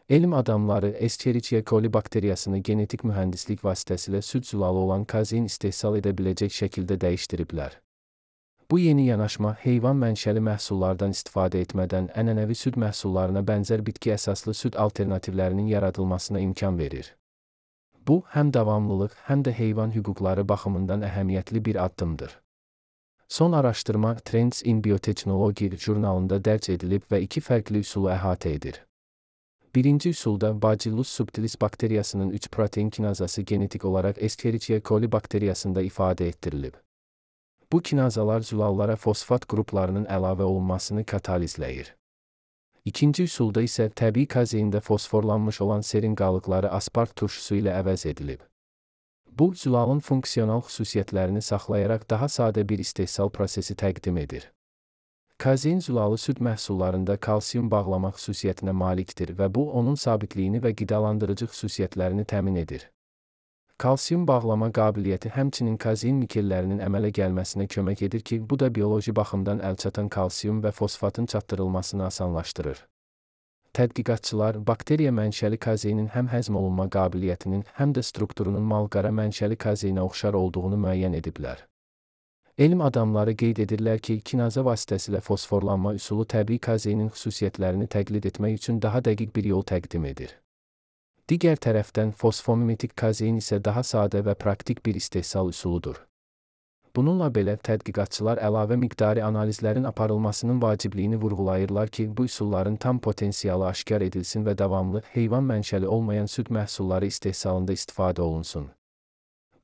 Elm adamları Escherichia coli bakteriyasını genetik mühəndislik vasitəsilə süd zülalı olan kazein istehsal edə biləcək şəkildə dəyişdiriblər. Bu yeni yanaşma heyvan mənşəli məhsullardan istifadə etmədən ənənəvi süd məhsullarına bənzər bitki əsaslı süd alternativlərinin yaradılmasına imkan verir. Bu, həm davamlılıq, həm də heyvan hüquqları baxımından əhəmiyyətli bir addımdır. Son araşdırma Trends in Biotechnology jurnalında dərc edilib və iki fərqli üsulu əhatə edir. Birinci üsulda Bacillus subtilis bakteriyasının 3 protein kinazası genetik olaraq Escherichia coli bakteriyasında ifadə etdirilib. Bu kinazalar zülallara fosfat qruplarının əlavə olunmasını katalizləyir. İkinci üsulda isə təbii kazeində fosforlanmış olan serin qalıqları aspart turşusu ilə əvəz edilib. Bu, zülalın funksional xüsusiyyətlərini saxlayaraq daha sadə bir istehsal prosesi təqdim edir. Kazein zülalı süd məhsullarında kalsium bağlama xüsusiyyətinə malikdir və bu, onun sabitliyini və qidalandırıcı xüsusiyyətlərini təmin edir. Kalsium bağlama qabiliyyəti həmçinin kazein nikellərinin əmələ gəlməsinə kömək edir ki, bu da bioloji baxımdan əlçatan kalsium və fosfatın çatdırılmasını asanlaşdırır. Tədqiqatçılar, bakteriya mənşəli kazeinin həm həzm olunma qabiliyyətinin, həm də strukturunun malqara mənşəli kazeinə oxşar olduğunu müəyyən ediblər. Elm adamları qeyd edirlər ki, kinaza vasitəsilə fosforlanma üsulu təbii kazeinin xüsusiyyətlərini təqlid etmək üçün daha dəqiq bir yol təqdim edir. Digər tərəfdən, fosfomimetik kazein isə daha sadə və praktik bir istehsal üsuludur. Bununla belə, tədqiqatçılar əlavə miqdari analizlərin aparılmasının vacibliyini vurğulayırlar ki, bu üsulların tam potensialı aşkar edilsin və davamlı, heyvan mənşəli olmayan süd məhsulları istehsalında istifadə olunsun.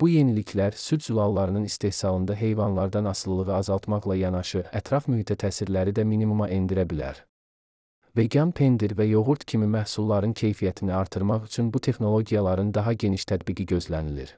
Bu yeniliklər süd zülallarının istehsalında heyvanlardan asılılığı azaltmaqla yanaşı, ətraf mühitə təsirləri də minimuma endirə bilər. Vegan pendir və yoğurt kimi məhsulların keyfiyyətini artırmaq üçün bu texnologiyaların daha geniş tətbiqi gözlənilir.